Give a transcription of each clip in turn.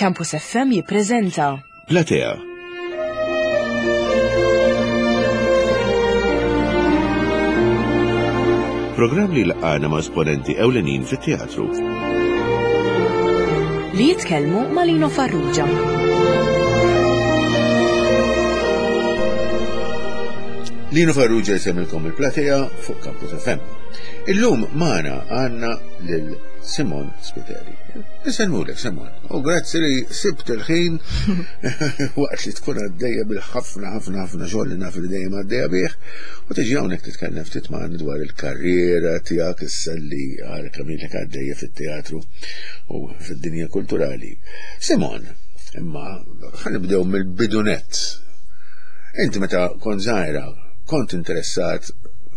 Campus FM jippreżenta Platea. Programm li laqgħana ma' esponenti ewlenin fit-teatru. Li jitkellmu ma' Lino Farrugia. Lino Farrugia jsemmilkom il-platea fuq Campus FM. Illum magħna għandna lil Simon Spiteri. Nisellmulek Simon. U grazzi li sibt il-ħin waqt li tkun għaddejja bil-ħafna ħafna ħafna xogħol li naf li dejjem għaddejja bih u tiġi hawnhekk titkellem ftit magħna dwar il-karriera tiegħek issa li għal kemm ilek għaddejja fit-teatru u fid-dinja kulturali. Simon, imma ħanibdew mill-bidunett. Inti meta kont żgħira kont interessat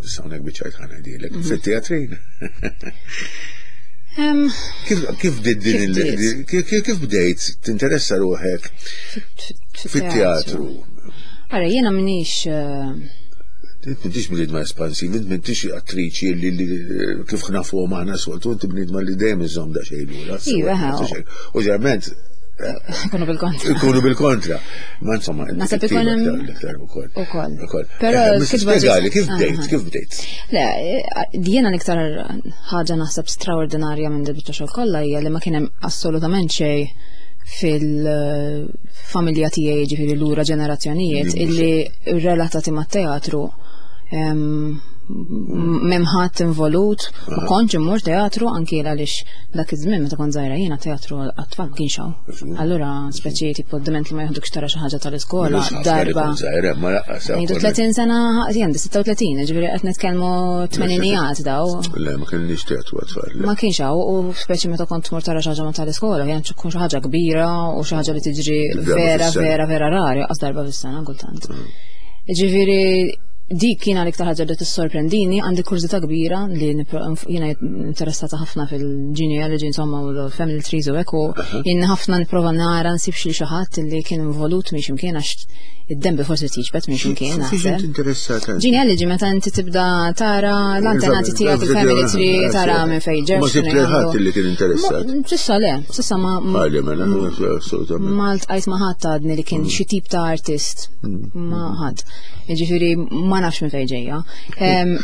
Sawnek biċajt ħana dilek, mhm. fit-teatrin. Kif bdiet din kif bdejt tinteressa ruħek fit-teatru? Ara, jiena minix eh, Int m'intix bniedma espansiv, int m'intix attriċi li kif nafuhom aħna soltu, inti bniedma li dejjem iżomm daqsxejn lura. Iva, u ġerment Ikunu bil-kontra. Ikunu bil-kontra. Ma insomma, Nasab ikun hemm iktar ukoll. Ukoll. Però eh, kif spjegali kif bdejt, kif bdejt. Le, eh, jiena l-iktar ħaġa naħseb straordinarja minn dil-biċċa xogħol kollha hija li ma kien hemm assolutament xejn fil-familja tiegħi ġifieri lura ġenerazzjonijiet illi relatati mat-teatru memħat involut, ma kontx immur teatru anki għaliex dak iż-żmien meta kont żgħira jiena teatru għat-tfal ma kienx hawn. Allura speċi tipo diment li ma jaħdukx tara xi ħaġa tal-iskola darba. Ngħidu 30 sena jien 36, ġifieri qed nitkellmu tmeninijat daw. Le, ma kienx teatru għat-tfal. Ma kienx hawn u speċi meta kont tmur tara xi ħaġa ma tal-iskola, kien tkun xi ħaġa kbira u xi ħaġa li tiġri vera vera vera rari, qas darba fis-sena kultant. Mm. Ġifieri dik kiena l-iktar ħaġa li tissorprendini, għandi kurżità kbira li jiena interessata ħafna fil-genealogy insomma u l-family trees u hekk u jien ħafna nipprova nara nsib xi xi ħadd li kien involut minn x'imkien għax id-dembi forsi tiġbed minn x'imkien. Interessata. Genealogy meta inti tibda tara l-antenati tiegħek il-family tree tara minn fejn ġew. Ma sibt ħadd li kien interessat. Sissa le, sissa ma. Mela, ma ltqajt ma ħadd għadni li kien mm. xi tip ta' artist. Mm. Ma ħadd. Ġifieri ma nafx minn fejn ġejja.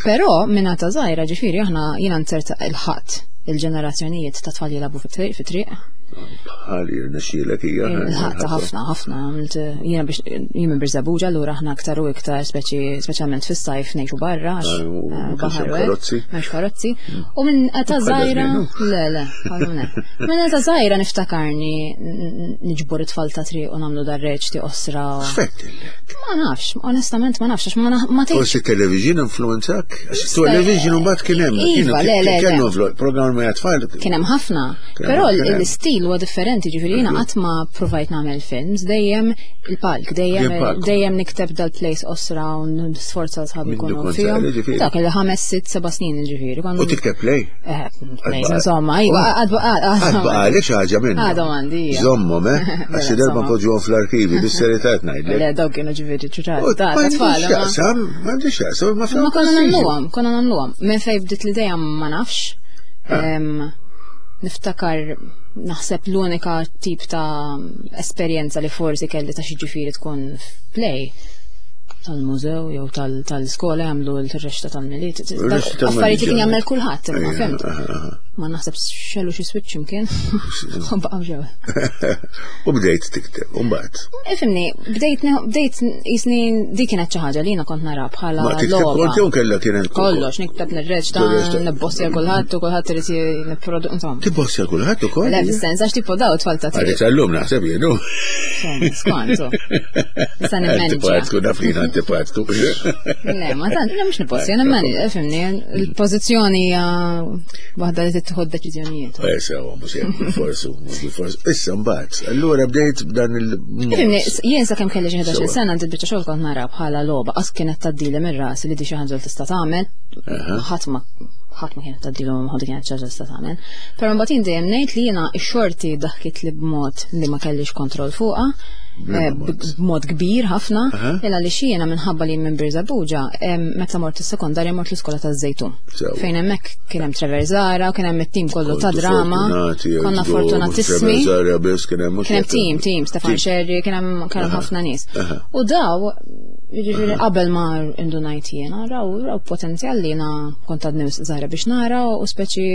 Però minn ta' żgħira ġifieri aħna jiena nzerta il-ħadd il-ġenerazzjonijiet ta' tfal jilagħbu fit-triq. Bħal jirnexxielek hija. Ħadd ħafna ħafna għamilt jiena biex jien minn Birżabuġa allura aħna aktar u iktar speċi speċjalment fis-sajf ngħixu barra għax ah, eh, baħar karozzi. M'hemmx karozzi. Mm. U minn età żgħira le le Minn età żgħira niftakarni niġbor it-tfal ta' triq u nagħmlu dar-reċti osra. X'fettillek? Ma nafx, onestament ma nafx, għax ma ma tgħidx. Forsi television influenzak? Għax television mbagħad kien hemm. Iva, le, le. Kellu programm ma tfal. Kien hemm ħafna. Però l-istil huwa differenti, ġifieri jiena qatt ma provajt nagħmel films, dejjem il-palk, dejjem dejjem nikteb dal-place osra u nisforza sħabi jkunu fihom. Dak il-ħames, sitt, seba' snin ġifieri. U tikteb play? Eh, plays, insomma, iva, għadba għalek xi ħaġa minn. Għadhom għandi. Żommhom, eh? Għax xi darba npoġġuhom fl-arkivi, bis-serjetà qed ngħidlek. Le, dawk kienu ġifieri ċuċat. Ta' tfal. X'jaqsam, m'għandix x'jaqsam, ma Ma konna nagħmluhom, konna nagħmluhom. Minn fejn bdiet l-idea ma nafx. Ah. Niftakar naħseb l-unika tip ta' esperjenza li forsi kelli ta' xi ġifieri tkun f'play tal-mużew jew tal-iskola jagħmlu l-rexta tal-miliet. Affarijiet li kien jagħmel kulħadd, imma fimt. Ma naħseb xellu xi switch imkien. U baqgħu ġew. U bdejt tikteb, u mbagħad. Ifimni, bdejt bdejt jisni dik kienet xi ħaġa li jiena kont nara bħala. Ma tikteb kont jew kellha kienet kollox, nikteb nirreċta, nibbossja kulħadd u kulħadd irid nipprodu insomma. Tibbossja kulħadd ukoll? Le, fis-sens għax tipo daw tfal ta' triq. Għalli tal-lum naħseb jienu. Skont. Issa nimmanġa. Antipatku, naf li antipatku. Le, ma tant, le mhux niposti, jena mani, fimni, il-pożizzjoni hija waħda li tittieħu deċiżjonijiet. Eh, sewa, mhux hekk bil-forsu, mhux bil-forsu. Issa mbagħad, allura bdejt b'dan il. Fimni, jien sakemm kelli xi 11 sena għandi biċċa xogħol kont nara bħala logħba, qas kienet tgħaddili mir-ras li di xi ħaġa li tista' tagħmel, ħadd ma ħadd ma kienet tgħaddilu ħadd kienet xi ħaġa tista' tagħmel. Però mbagħad jien dejjem ngħid li jiena x-xorti daħkit li b'mod li ma kellix kontroll fuqha. eh, b'mod kbir ħafna, illa li jiena minħabba li minn Birżabuġa, meta mort is-sekondarja mort l-iskola taż-Żejtun. Fejn hemmhekk kien hemm Trevor Zara, kien hemm it-tim kollu ta' drama. Konna fortunatissimi. Kien hemm tim, tim, Stefan Sherry, kien hemm ħafna nies. U daw, jiġifieri qabel ma indunajt jiena, raw raw potenzjal li jiena kont għadni żgħira biex nara u speċi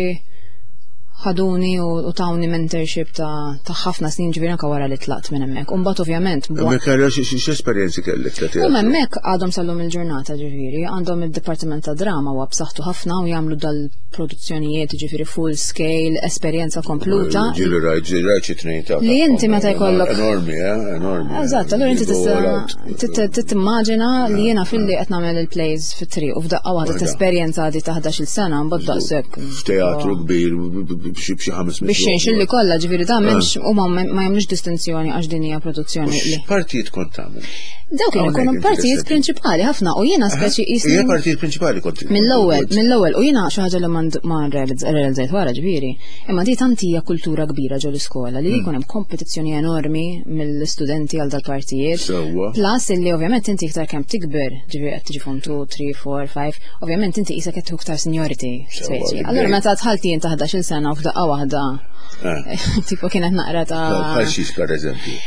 ħaduni u tawni mentorship ta' ħafna snin ġifieri anke wara li tlaqt minn hemmhekk. U mbagħad ovvjament. Hemmhekk għara x'esperjenzi kellek ta' teatru? U hemmhekk għadhom sal-lum il-ġurnata ġifieri, għandhom id-dipartiment ta' drama huwa b'saħħtu ħafna u jagħmlu dal-produzzjonijiet ġifieri full scale, esperjenza kompluta. Ġieli rajt, ġieli rajt xi tnejn ta' Li inti meta jkollok. Enormi, eh, enormi. Eżatt, allura inti tista' timmaġina li jiena filli qed nagħmel il-plays fit-triq u f'daqqa waħda tesperjenza għadi ta' 11-il sena mbagħad daqshekk. F'teatru kbir b'xi ħames Biex xinx li kollha ġifieri da m'hemmx huma ma jagħmlux distinzjoni għax din hija produzzjoni. Partijiet kont tagħmel? Dawk kienu jkunu partijiet prinċipali ħafna u jiena speċi jisni. Hija partijiet prinċipali kont. Mill-ewwel, mill-ewwel u jiena xi ħaġa li ma realizzajt wara ġifieri, imma di tant hija kultura kbira ġol iskola li hmm. jkun hemm kompetizzjoni enormi mill-istudenti għal dal-partijiet. Sewwa. Plus illi ovvjament inti iktar kemm tikber, ġifieri qed tiġi form 2, 3, 4, 5, ovvjament inti qisek qed iktar seniority. Speċi. Allura meta dħalt jien ta' 11-il sena u f'daqqa waħda eh. tipo kienet naqra ta' Bħal xiex per eżempju.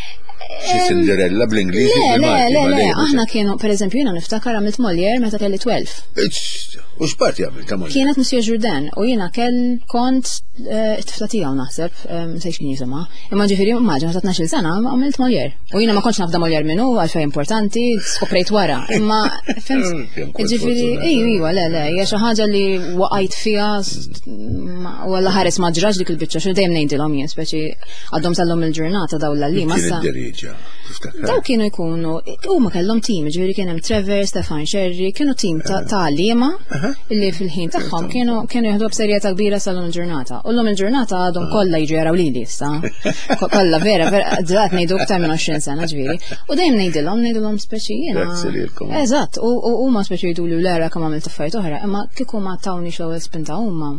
Xi Cinderella bl-Ingliż. Le, le, le, le, aħna kienu, per eżempju, jiena niftakar għamilt Molière meta kelli 12. U x'parti għamilt ta' Molière? Kienet Monsieur Jourdain u jiena kell kont eh, it-tifla tiegħu naħseb, eh, nsejx kien jisimha. Imma ġifieri immaġina ta' 12 sena għamilt Molière. U jiena ma kontx nafda Molière minnu għalfejn importanti, skoprejt wara. Imma fimt, ġifieri, iju, iva, le, le, hija xi ħaġa li waqajt fiha u għalla ħares ma ġrax dik il-biċċa xi dejjem ngħidilhom jien, speċi għadhom sal-lum il-ġurnata daw l-għalli. Daw kienu jkunu, huma kellhom tim, ġifieri kien hemm Trevor, Stefan Sherry, kienu tim ta' eh. għalliema li fil-ħin tagħhom kienu kienu jieħdu b'serjetà kbira sal-lum il-ġurnata. U llum il-ġurnata għadhom ah. kollha jiġu jaraw lili issa. Kollha vera, vera, drat ngħidu aktar minn 20 sena ġifieri. U dejjem ngħidilhom, ngħidilhom speċi jiena. Eżatt, u huma speċi jgħidu li l-era kemm għamilt affarijiet oħra, imma kieku ma tawni l-ewwel spinta huma,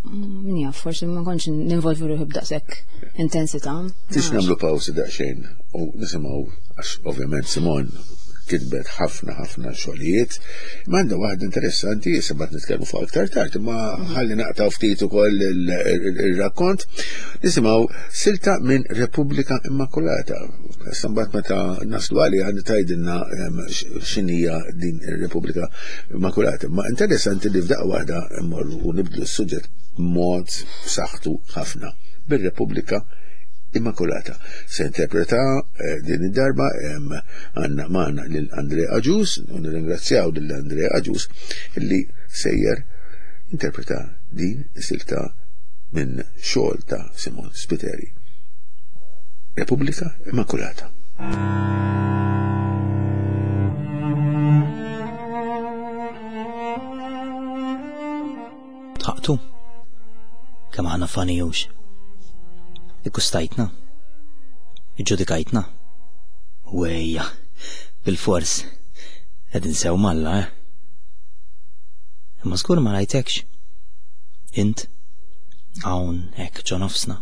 min jaf, forsi ma kontx ninvolvi ruħi b'daqshekk intensità. Tix nagħmlu pawsi daqsxejn u nisimgħu għax ovvjament Simon kitbet ħafna ħafna xogħlijiet. Ma għandha waħda interessanti, issa bat nitkellmu fuq aktar tard, imma ħalli naqtaw ftit ukoll ir-rakkont. Nisimgħu silta minn Repubblika Immakulata. Issa mbagħad meta naslu għaliha tgħidilna ehm, x'inhija din ir-Repubblika Immakulata. Ma interessanti li f'daqqa waħda mmorru u nibdlu s-suġġett mod b'saħħtu ħafna bir-Repubblika Immakulata. Se interpreta eh, din id-darba għanna maħna lil Andre Aġus, u nirringrazzjaw lil Andre Aġus illi sejjer interpreta din is-silta minn xogħol ta' Simon Spiteri. Repubblika Immakulata. Tħaqtu? Kemm aħna fani hux. Ikkustajtna? Iġġudikajtna? Wejja, bil-fors. Qegħdin sew malla, eh? Imma żgur ma rajtekx. Int, hawn hekk ġo nofsna,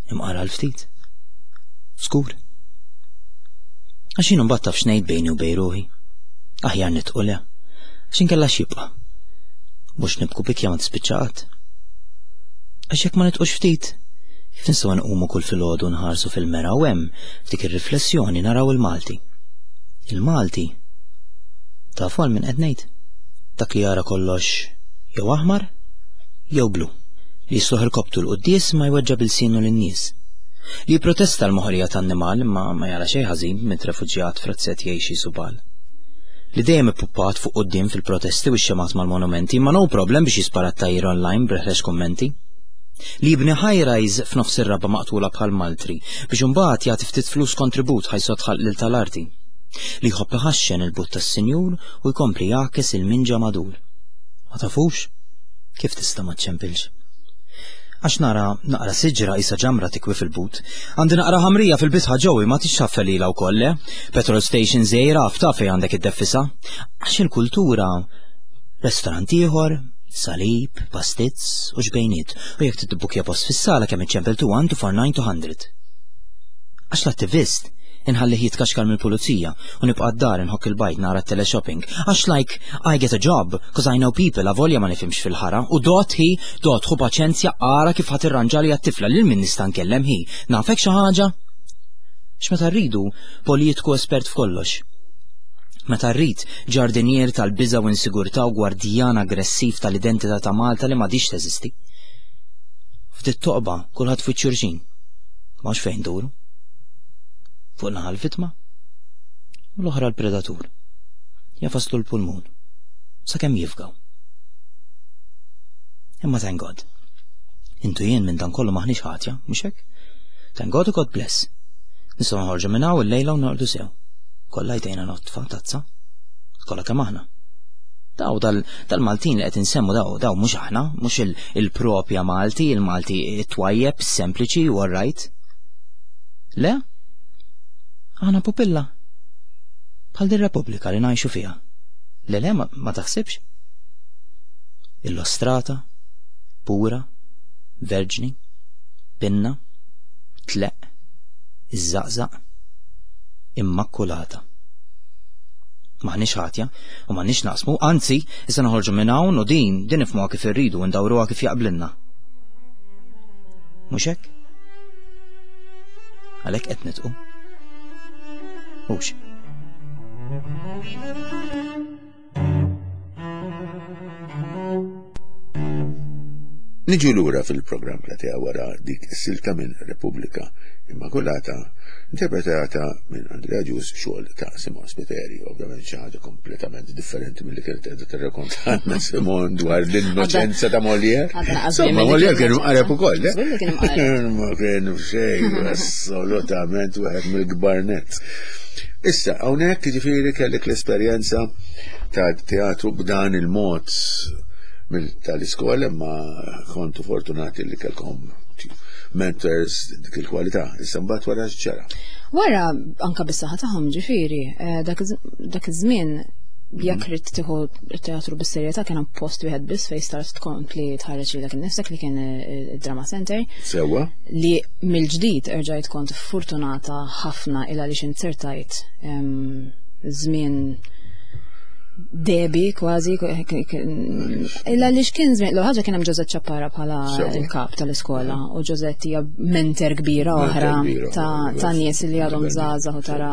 imqara l-ftit. Żgur. Għax jien mbagħad taf x'ngħid bejni u bejn ruħi. Aħjar nitqu le. Għax inkella x'jibqa'. Mhux nibku bikja ma tispiċċa qatt. Għax jekk ma nitqux ftit, kif nistgħu nqumu kull filgħodu nħarsu fil-mera u hemm f'dik ir-riflessjoni naraw il-Malti. Il-Malti tafu għal min qed ngħid? Dak li jara kollox jew aħmar jew blu. Li jisluħ irkobtu l-quddies ma jweġġa' bilsienu lin-nies. Li jipprotesta l-moħqrija tan-nimal imma ma jara xejn ħażin b'mint refuġjat f'razzett jgħix qisu bal. Li dejjem ippuppat fuq quddiem fil-protesti u x-xemgħat mal-monumenti imma no problem biex jispara t-tgħajjir online b'reħrex kummenti. Li jibni high-rise f'nofs ir-raba' maqtula bħal maltri biex imbagħad jagħti ftit flus kontribut ħa jsod ħalq lil tal-arti. Li jħobb iħaxxen il-but tas-sinjur u jkompli jgħakkes il-minġa madur. Ma tafux? Kif tista' ma ċċempilx? Għax nara naqra siġra qisha ġamra tikwi fil-but. Għandi naqra ħamrija fil-bitħa ġewwi ma tixxaffel lilha wkoll, le? Petrol station żgħira fta fejn għandek iddeffisha. Għax il-kultura restorant ieħor, salib, pastizz u ġbejniet. U jekk titbukkja post fis-sala kemm iċċempel 2 1 2 4 9 200. Għax l-attivist Inħallih jitkaxkar mill-pulizija u nibqa' d-dar inħokk il-bajd nara t-teleshopping. Għax like, I get a job, cause I know people avolja ma nifhimx fil-ħara u dot hi, dot ħu paċenzja ara kif ħa tirranġali għat-tifla lil min nista' nkellem hi. Nafek xi ħaġa? X'meta rridu politiku espert f'kollox. Meta rrid ġardinier tal-biża' u insigurtà u gwardjan aggressiv tal-identità ta' Malta li m'għadhiex teżisti. Ftit toqba kulħadd fuq xulxin. M'hawnx fejn duru. Fuq naħa l-vittma u l-oħra l-predatur. Jafaslu l-pulmun sakemm jifgaw. Imma thank God. Intu jien minn dan kollu maħniex ħatja, mhux hekk? Thank God u God bless. Nistgħu noħorġu minn hawn illejla u norqdu sew. Kollha jdejna notfa tazza. Kollha kemm aħna. Daw dal-Maltin li qed insemmu daw daw mhux aħna, mhux il-propja Malti, il-Malti it-twajjeb, sempliċi u right. Le? Aħna pupilla. Bħal din Repubblika li ngħixu fiha. Le le ma, ma taħsibx? Illustrata, pura, verġni, pinna, tleq, iżżaqżaq, immakulata. M'aħniex ħatja u m'għandniex naqsmu, anzi, issa noħorġu minn hawn u din, din nifhmuha kif irridu u ndawruha kif jaqblilna. Mhux hekk? Għalhekk qed nitqu. Hux. Niġu lura fil-programm Platea wara dik is-silta minn Repubblika Immakulata, interpretata minn Andrea Ġus xogħol ta' Simon Spiteri, ovvjament xi ħaġa kompletament differenti milli kienet qiegħda tirrakontalna Simon dwar l-innoċenza ta' Molière. Insomma, Molière kien imqareb ukoll, eh? Ma kien xejn, assolutament wieħed mill-kbar nett. Issa, hawnhekk jiġifieri kellek l-esperjenza ta' teatru b'dan il-mod tal-iskola imma kontu fortunati li kelkom mentors dik il-kwalità. Issa mbagħad wara x'ġara. Wara anka bis-saħħa tagħhom ġifieri, eh, dak iż-żmien jekk mhm. rid tieħu teatru bis-serjetà kien hemm post wieħed biss fejn start tkompli tħarreġ lilek innifsek li kien eh, id-Drama Center. Sewwa. Li mill-ġdid erġajt kont fortunata ħafna il għaliex inzertajt żmien debi kważi illa li x'kien żmien l ħaġa kien hemm Ġożett Ċappara bħala il-kap tal-iskola u Ġożett hija menter kbira oħra ta' nies li għadhom żgħażagħ u tara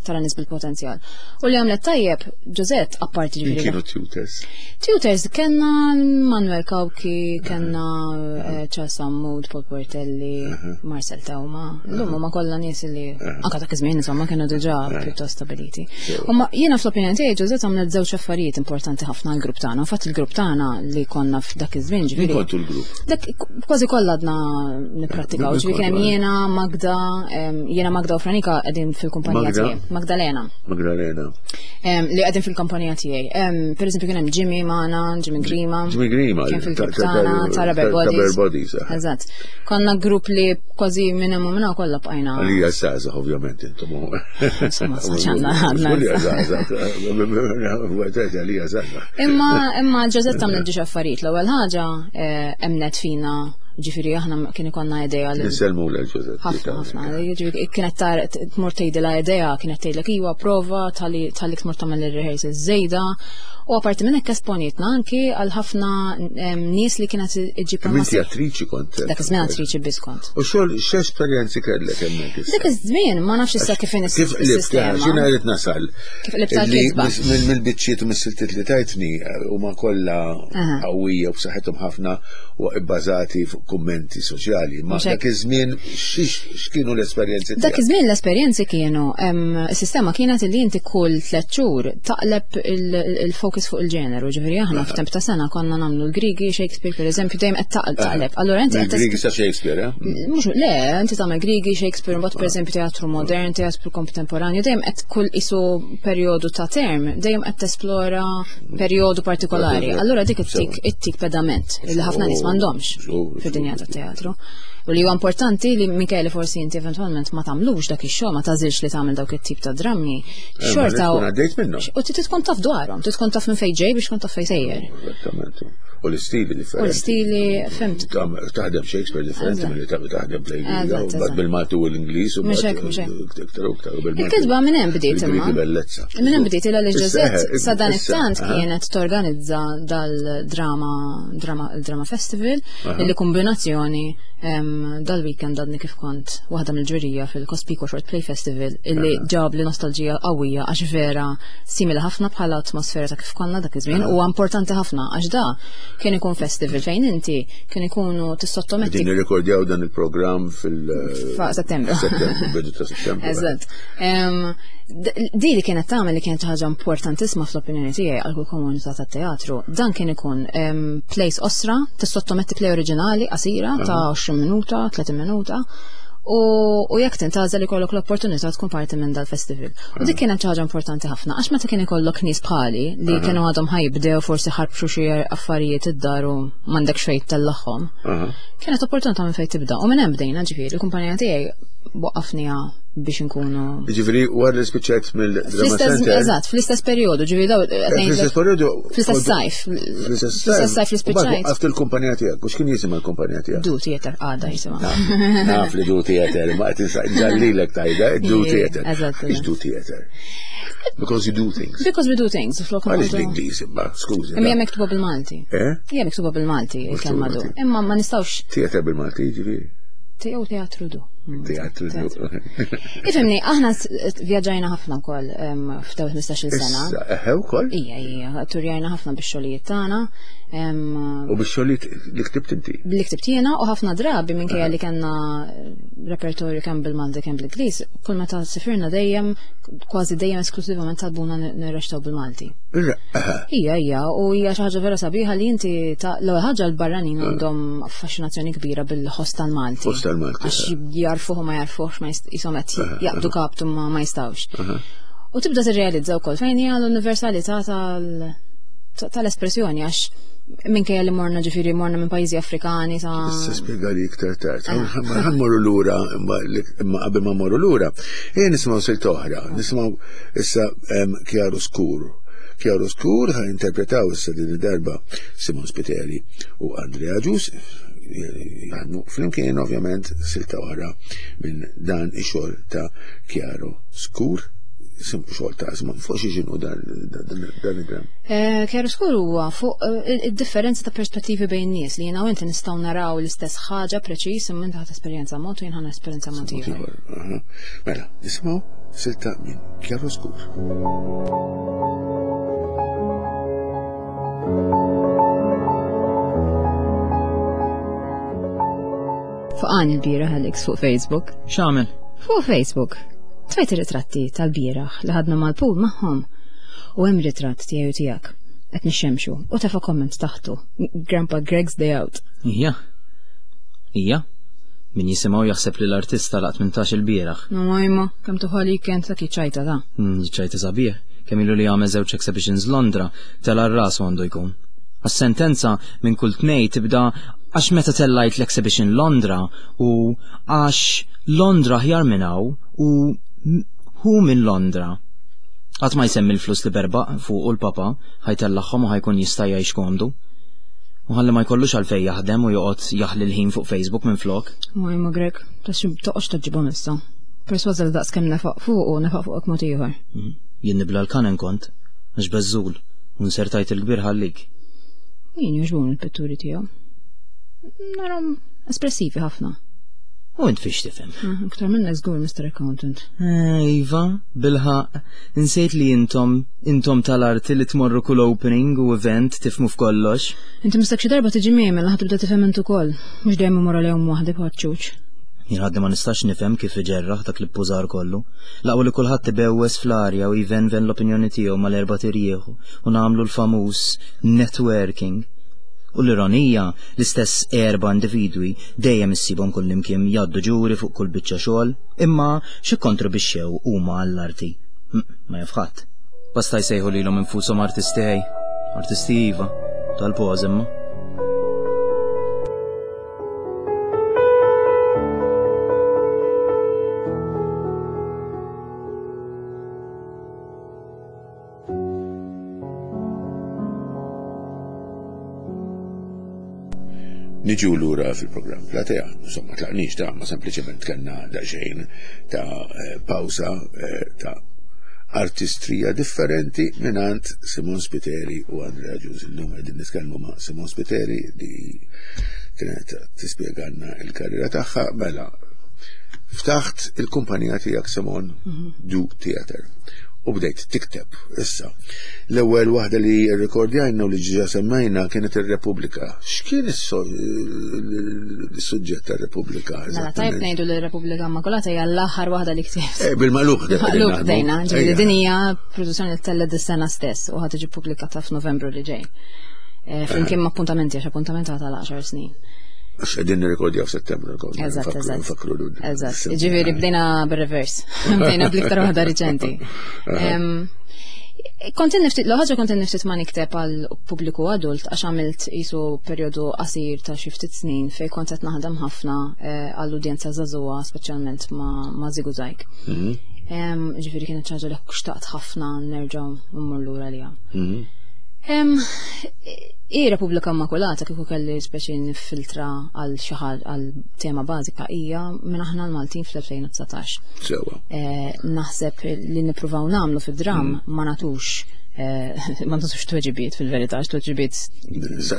tara nies bil-potenzjal. U li għamlet tajjeb, Ġożett apparti ġifieri. Kienu tutors. Tutors kellna Manuel Kawki, kellna eh, Charles Sammud, Paul Portelli, Marcel Tawma. L-lum huma kollha nies li anka dak iż-żmien insomma kienu diġà pjuttost stabiliti. U ma jiena fl-opinjoni tiegħi Ġożett għamlet żewġ affarijiet importanti ħafna għall-grupp tagħna. Fatt il-grupp tagħna li konna f'dak iż-żmien ġifieri. Kontu l-grupp? Dak kważi kollha għadna nipprattikaw, ġifieri kien hemm jiena, Magda, jiena Magda u Franika qegħdin fil-kumpanija tiegħi. Magdalena. Magdalena. Li qegħdin fil-kumpanija tiegħi. Per eżempju kien hemm Jimmy magħna, Jimmy Grima. Jimmy Grima. Kien fil-grupp tagħna, ta' Rubber Bodies. Bodies. Eh. Eżatt. Konna grupp li kważi minn hemm u minn kollha bqajna. Għalija żgħażagħ ovvjament intom. Insomma, saċanna għadna. Għalija żgħażagħ. Għalija żgħażagħ. Imma imma Ġożett għamlet ġiex affarijiet. L-ewwel ħaġa eh, emnet fina ġifiri aħna kien ikonna idea li. Niselmu l Ġożett. Ħafna ħafna. Ġifieri kienet tar tmur tgħidilha idea, kienet tgħidlek iwa prova tal-li tmur tagħmel ir-rehearsals żejda. U apparti minn hekk esponietna anki għal ħafna nies li kienet iġġib Inti attriċi kont. Dak iż-żmien attriċi biss kont. U xogħol x'esperjenzi kellek hemmhekk issa? Dak iż-żmien ma nafx issa kif inhi Kif qlibt, x'inha rrid nasal. Kif qlibt tal-kisba. Mill-biċċiet u mis-siltiet li tajtni eh, huma kollha qawwija u b'saħħithom ħafna u bbażati fuq kummenti soċjali. Ma dak iż-żmien x'kienu l-esperjenzi? Dak iż-żmien l-esperjenzi kienu, is-sistema kienet li inti kull tliet xhur taqleb il-focus fuq il-ġeneru, ġifieri aħna f'temp ta' sena konna nagħmlu l-Grigi, Shakespeare pereżempju, dejjem qed taqleb. Allura inti qed Grigi sa Shakespeare, eh? Mhux le, inti tagħmel Grigi, Shakespeare, mbagħad pereżempju teatru modern, teatru kontemporanju, dejjem qed kull isu perjodu ta' term, dejjem qed tesplora perjodu partikolari. Allura dik ittik ittik pedament li ħafna nies m'għandhomx fid-dinja tat-teatru. U li huwa importanti li Michele forsi inti eventwalment ma tagħmlux dak ix-xogħol, ma tażilx li tagħmel dawk it-tip ta' drammi. Eh, Xorta u għaddejt minnhom. U trid tkun taf dwarhom, trid tkun taf minn fejn ġej biex tkun taf fejn sejjer. Esattament. U l-istili differenti. U l-istili, fimt. Taħdem Shakespeare differenti mill-li taħdem play bil-Malti u l-Ingliż u Mhux hekk, mhux hekk. Il-kitba minn hemm bdiet imma. Bellezza. Minn hemm bdiet illa li Ġożett sa dan it-tant kienet torganizza dal-drama drama drama festival illi kombinazzjoni dal-weekend għadni kif kont waħda mill-ġurija fil-Cospico Short Play Festival illi ġab li nostalġija qawwija għax vera simili ħafna bħala atmosfera ta' kif konna dak iż-żmien u importanti ħafna għax da kien ikun festival fejn inti kien ikunu tissottometti. Din nirrekordjaw dan il-programm fil- Settembru. Settembru, bidu ta' settembru. Eżatt. Di li kienet tagħmel li kienet ħaġa importantissima fl-opinjoni tiegħi għal kull komunità tat-teatru, dan kien ikun plays osra, tissottometti play oriġinali qasira ta' 20 minuta, 30 minuta u jekk tintgħażel ikollok l-opportunità tkun parti minn dal-festival. U dik kienet ħaġa importanti ħafna għax meta kien ikollok nies bħali li kienu għadhom ħajbdew forsi ħarbxu xi affarijiet id-dar u m'għandek xejn tellagħhom. Kienet opportunità minn fejn tibda. U minn hemm bdejna ġifieri, il-kumpanija tiegħi waqqafniha biex inkunu. Ġifieri wara li spiċċajt mill-Drama Center. Eżatt, fl-istess perjodu, ġifieri daw. Eh, fl-istess perjodu. Fl-istess sajf. Fl-istess sajf li spiċċajt. Waqqaft il-kumpanija tiegħek, u x'kien jisimha l-kumpanija tiegħek? Du Theater għadha jisimha. Naf li Du Theater, ma qed ġallilek tajda, Du Theater. Eżatt. Ix Du Theater? Because you do things. Because we do things. Għaliex l-Ingliż imma, skużi. Imma hija miktuba bil-Malti. Eh? Hija miktuba bil-Malti il-kelma du. Imma ma nistgħux. Theater bil-Malti jiġifieri. Jew teatru du. Teatru du. Ifimni, aħna vjaġġajna ħafna wkoll f'daw 15-il sena. Issa, eħe wkoll? Ija, ija, turjajna ħafna bix-xogħlijiet tagħna. U bix-xogħlijiet li ktibt inti? Li ktibt jiena u ħafna drabi minkejja li kellna repertorju kemm bil-Malti kemm bl-Ingliż, kull meta sifirna dejjem kważi dejjem esklusivament talbuna nirrextaw bil-Malti. Ija, ija, u hija xi ħaġa vera sabiħa li inti ta' l-ewwel ħaġa l-barranin għandhom affaxxinazzjoni kbira bil-ħoss tal-Malti. Ħoss tal-Malti. Għax jarfuh u ma jarfuhx ma jisom qed jaqbdu kaptu ma ma jistgħux. U tibda tirrealizza wkoll fejn hija l-universalità tal-espressjoni għax minkejja li morna ġifieri morna minn pajjiżi Afrikani ta' Issa spjega li iktar tard. Ħa mmorru lura imma qabel ma mmorru lura, ejja nisimgħu silt oħra, nisimgħu issa Kjaru Skur. Kjaru Skur ħa interpretaw issa din id-darba Simon Spiteri u Andrea Ġus jaħdmu flimkien ovvjament silta oħra minn dan ix-xogħol ta' Kjaro Skur xogħol ta' Simon fuq xi xinu dan id-dram. Eh, Kjaru Skur huwa fuq eh, id-differenza ta' perspettivi bejn nies li jiena u inti nistgħu naraw l-istess ħaġa preċiż imma inti ħadd esperjenza mod u jien ħa esperjenza mod ieħor. Mela, nisimgħu silta minn Kjaru Skur. Faqani l-bieraħ Alex fuq Facebook. X'għamel? Fuq Facebook. Tfajt ir-ritratti tal-bieraħ li ħadna mal-pool magħhom. U hemm ritratt tiegħi u tiegħek. Qed nixxemxu u tefa' komment taħtu. Grandpa Greg's Day Out. Ija. Ija. Min jisimgħu jaħseb li l-artista laqt 18 il-bieraħ. No imma, kemm tuħali kien ta' ċajta ta' mm, ċajta sabiħ. Kemm ilu li għamel żewġ exhibitions Londra, tela' r-ras għandu jkun. Għas-sentenza minn kull tnej tibda għax meta tellajt l-exhibition Londra u għax Londra ħjar minn hawn u hu minn Londra. Qatt ma jsemmi l-flus li berbaq fuqu l-papa ħajtellagħhom u ħajkun jista' jgħix komdu. U ħalli ma jkollux għalfejn jaħdem u joqgħod jaħli l-ħin fuq Facebook minflok. U imma Greg, ta' xi toqgħodx taġġibhom issa. Persważa li daqs kemm nefaq fuqu nefaq fuqek mod ieħor. Mm. Jien nibla l-kanen kont, għax beżżul, u nsertajt il-kbir ħallik. Jien jogħġbuni l-pitturi tiegħu. Narhom espressivi ħafna. U int fiex tifhem? Ah, iktar minnek żgur, Mr. Accountant. Eh, iva, bilħaq, insejt li intom, intom tal-arti li tmorru kull opening u event tifmu f'kollox. Inti mistak xi darba tiġi miegħi mela tibda tifhem int ukoll, mhux dejjem imur għalihom waħdi bħal ċuċ. Jien għadni ma nistax nifhem kif iġerraħ dak l-ippużar kollu. Laqwa li kulħadd ibewwes fl-arja u jvenven l-opinjoni tiegħu mal-erba' tirjieħu u nagħmlu l-famuż networking. U l-ironija, l-istess erba' individwi dejjem issibhom kullimkien jgħaddu ġuri fuq kull biċċa xogħol, imma x'ikkontribixxew huma għall-arti? Ma jaf ħadd. Basta jsejħu lilhom infushom artisti ħej. Artisti iva, tal-poż imma. Niġu lura fil-programm Platea, insomma tlaqniex ta' ma sempliċement kellna daqsxejn ta' eh, pawsa eh, ta' artistrija differenti mingħand Simon Spiteri u Andrea Ġuż. Illum qegħdin nitkellmu ma' Simon Spiteri li kienet tispjegalna il-karriera tagħha mela ftaħt il-kumpanija tiegħek Simon mhm. Du Theater u bdejt tikteb issa. L-ewwel waħda li rrekordjajna u li ġiġa semmejna kienet ir-Repubblika. X'kien is-suġġett tar-Repubblika? Mela tajb ngħidu li r-Repubblika Immakulata hija l-aħħar waħda li ktibt. Eh, bil-magħluq Magħluq bdejna, ġifieri din hija produzzjoni li tellgħet dis-sena stess u ħa tiġi pubblikata f'Novembru li ġej. Eh, flimkien ma' appuntamenti għax appuntament għata l-10 snin. Għax qegħdin nirrekordjaw f'Settembru. Eżatt, eżatt. Eżatt. Ġifieri bdejna bir-reverse. Bdejna bl-iktar waħda riċenti. Kont niftit, l-ħaġa kont niftit ma nikteb għal pubbliku adult għax għamilt jisu perjodu qasir ta' xi ftit snin fej kont qed naħdem ħafna eh, għall-udjenza żagħżugħa speċjalment ma' Zigu Zajk. Mhm. Ġifieri kienet ħaġa li xtaqt ħafna nerġa' mmur lura liha. Mhm. I Repubblika Immakulata kieku kelli speċi nifiltra għal xi għal tema bażika hija minn aħna l-Maltin fl-2019. Sewa. Eh, naħseb li nippruvaw nagħmlu fid-dram mm. ma natux eh, ma natux tweġibiet fil-verità, tweġibiet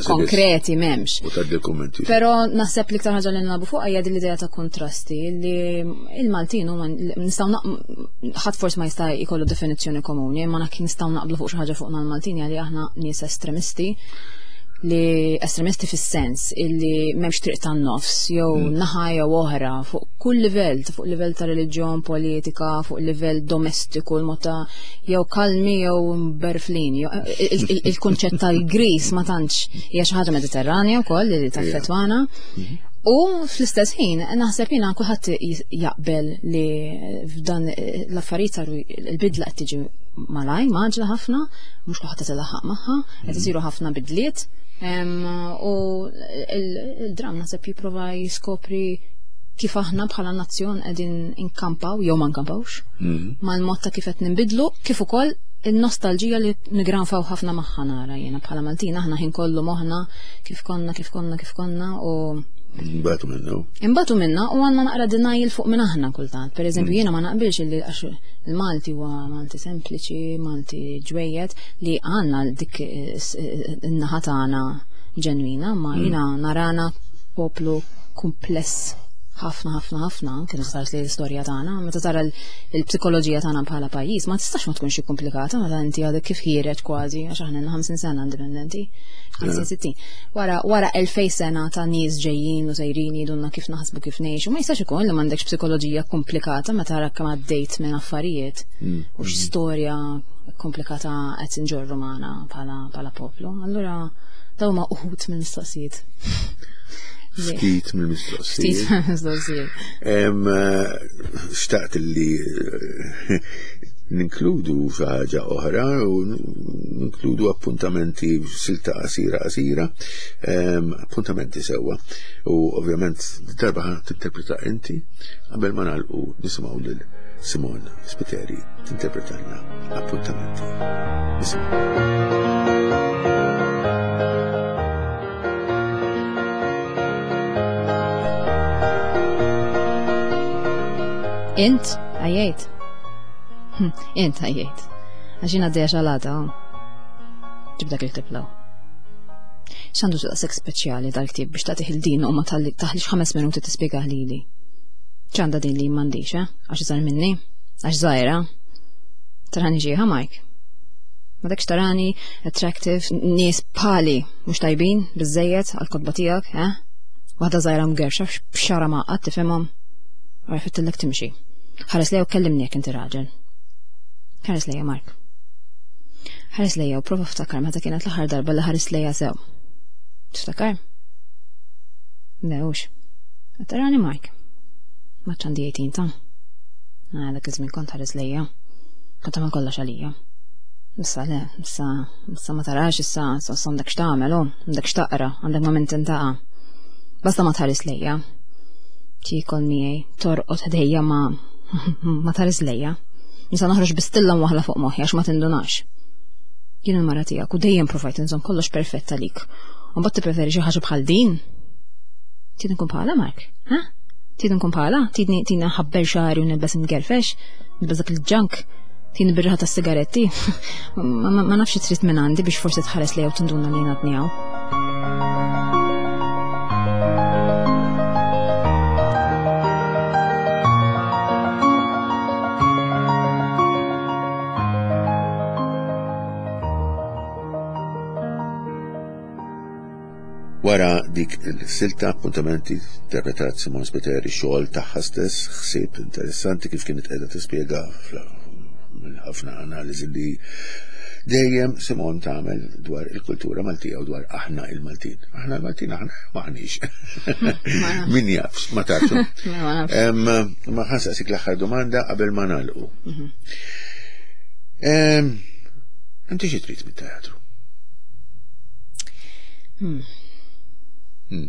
konkreti m'hemmx. U tad-dokumenti. Però naħseb li iktar ħaġa li nagħbu fuq hija din l-idea ta' kontrasti li il-Maltin huma nistgħu ħadd forsi ma jista' jkollu definizzjoni komuni, imma nistgħu naqblu fuq xi ħaġa fuqna l-Maltin li aħna nies estremisti li estremisti fis-sens illi m'hemmx triq tan-nofs jew mm. naħa jew oħra fuq kull livell, fuq livell ta' reliġjon, politika, fuq livell domestiku, l-mod ta' jew kalmi jew berflin. Il-kunċett tal-gris ma tantx hija xi ħaġa Mediterranja wkoll li taffettwana. Mm-hmm. U fl-istess ħin naħseb jiena kulħadd jaqbel li f'dan l-affarijiet saru il-bidla qed tiġi malaj, maġla ħafna, mhux kulħadd qed ilaħħaq magħha, qed mhm. isiru ħafna bidliet. U il-dram naħseb jipprova jiskopri kif aħna bħala nazzjon qegħdin inkampaw jew ma nkampawx mhm. mal-mod ta' kif qed ninbidlu, kif ukoll il-nostalġija li nigranfaw ħafna magħha nara jiena bħala Maltin aħna ħin kollu moħħna kif konna, kif konna, kif konna u Imbatu minna. Imbatu minna u għanna naqra denial fuq minn aħna kultant. Per eżempju, mm. jiena ma naqbilx li għax il-Malti huwa Malti sempliċi, Malti ġwejjed li għanna dik in-naħa tagħna ġenwina, ma mm. jiena narana poplu kumpless ħafna ħafna ħafna anke meta tara l-istorja tagħna, meta tara l-psikoloġija tagħna bħala pajjiż, ma tistax ma tkunx komplikata meta inti għadek kif ħiereġ kważi għax aħna 50 sena indipendenti. 50-60. Wara wara 2000 sena ta' nies ġejjin u sejrin jidunna kif naħsbu kif ngħixu, ma jistax ikun li m'għandekx psikoloġija komplikata meta tara kemm għaddejt minn affarijiet mm. u x'storja komplikata qed inġorru magħna bħala poplu. Allura dawn ma uħut minn mistoqsijiet. Ftit mill-mistoqsijiet. Ftit mill-mistoqsijiet. Eh, xtaqt li eh, ninkludu xi ħaġa oħra u ninkludu appuntamenti silta qasira qasira, appuntamenti sewwa. U ovvjament darba tinterpreta inti qabel ma nagħlqu nisimgħu lil Simon Spiteri tinterpretalna appuntamenti. Nisimgħu. Int għajjejt. Hm, int għajjejt. Għax jien għaddejja xalata. Oh. Ġib dak il-ktib law. X'għandu daqshekk speċjali dal-ktieb biex tagħtih il-din u ma taħlix ħames minuti tispjegah lili. Ċ'għandha din li m'għandix, eh? Għax iżgħar minni? Għax żgħira? Tarani ġieħa Mike. Ma dakx tarani attractive, nies bħali mhux tajbin biżejjed għall-kotba tiegħek, eh? Waħda żgħira mgerxa b'xara maqgħad tifhimhom. Għara fittillek timxi. Ħares lejja u kellimni jekk inti raġel. Ħares lejja Mark. Ħares lejja u prova ftakar meta kienet l-aħħar darba li ħares lejja sew. Tiftakar? Lewx. Tarani Mark. Ma ċandi 18 ta'. Ah, dak iż-żmien kont ħares lejja. Kont tagħmel kollox għalija. Issa le, issa, issa ma tarax issa, issa għandek x'tagħmel, oh, għandek x'taqra, għandek ma' min tintaqa'. Basta ma tħares lejja. Tiekol miegħi, torqod ħdejja ma ma tħares lejja. Nisa noħroġ bistilla waħla fuq moħħi għax ma tindunax. Jien il-mara tiegħek u dejjem provajt inżomm kollox perfett għalik. U mbagħad tippreferi xi ħaġa bħal din? Trid nkun bħala Mark? Ha? Trid nkun bħala? Tridni tridni nħabber xagħri u nilbes ngerfex? Nilbes dak il-ġank? Tridni birraħa tas-sigaretti? Ma nafx trid minn għandi biex forsi tħares lejha u tinduna li jien għadni hawn. Wara dik il-silta appuntamenti interpretat Simon Spiteri xogħol tagħha stess, ħsieb interessanti kif kienet qiegħda tispjega ħafna analiżi li dejjem Simon tagħmel dwar il-kultura Maltija u dwar aħna il-Maltin. Aħna il-Maltin aħna maħniex. Min jaf, ma tafx. Ma ħansaqsik l-aħħar domanda qabel ma nagħlqu. Mhm. Inti xi trid mit-teatru? Hmm. Hmm.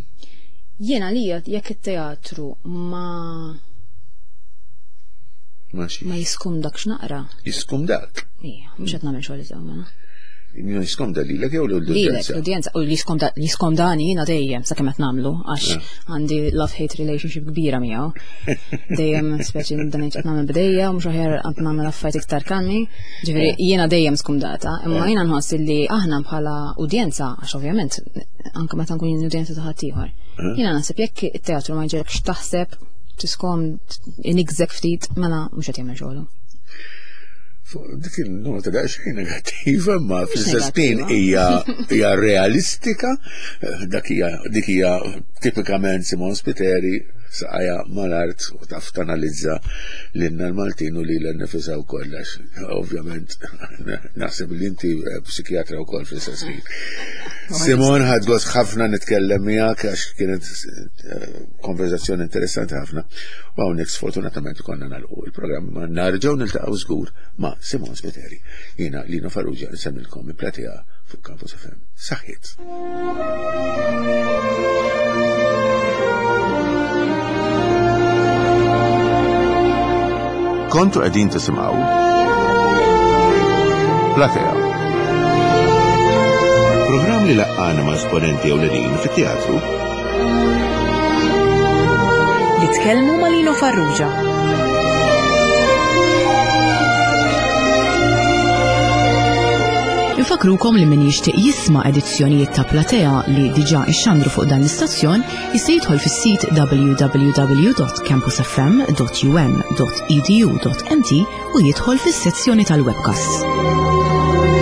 Jiena li jekk it-teatru ma ma jiskumdak x'naqra. Jiskumdak? Ija, mhux qed nagħmel xogħol isew mela. Jiskomda lilek jew l-udjenza? L-udjenza, u li jiskomdani jiena dejjem sakemm qed nagħmlu għax eh. għandi love-hate relationship kbira miegħu. Dejjem speċi nibda ngħid qed nagħmel bdejja u mhux aħjar qed nagħmel affarijiet iktar kalmi. Ġifieri eh. jiena dejjem skumdata, imma eh. jiena nħoss li aħna bħala udjenza, għax ovvjament anke meta nkun jien udjenza ta' ħaddieħor. Jiena naħseb jekk it-teatru ma jġegħekx taħseb tiskom inigżek ftit mela mhux qed jagħmel xogħlu. Dik il-nota daqsxejn negattiva, ma fl-istess ħin hija hija realistika, dak hija dik hija tipikament Simon Spiteri saqajha mal-art u taf tanalizza lilna l-Maltin u lilha nnifisha wkoll għax ovvjament naħseb li inti eh, psikjatra wkoll fl-istess ħin. Simon ħadt gost ħafna nitkellem miegħek għax kienet eh, konverzazzjoni interessanti ħafna. U hawnhekk sfortunatament konna nagħlqu il-programm ma narġgħu niltaqgħu żgur ma' Simon Spiteri. Jiena Lino Farrugia nsemmilkom il-platea fuq Campus FM. Saħħiet. Kontu qegħdin tisimgħu Platea. Programm li laqqana ma' esponenti ewlenin fit-teatru Li tkellmu ma' Lino Farrugia. Infakrukom li min jixtieq jisma' edizzjonijiet ta' Platea li diġà ixxandru fuq dan l-istazzjon jista' jidħol fis-sit www.campusfm.um.edu.mt u jidħol fis-sezzjoni tal-webcasts.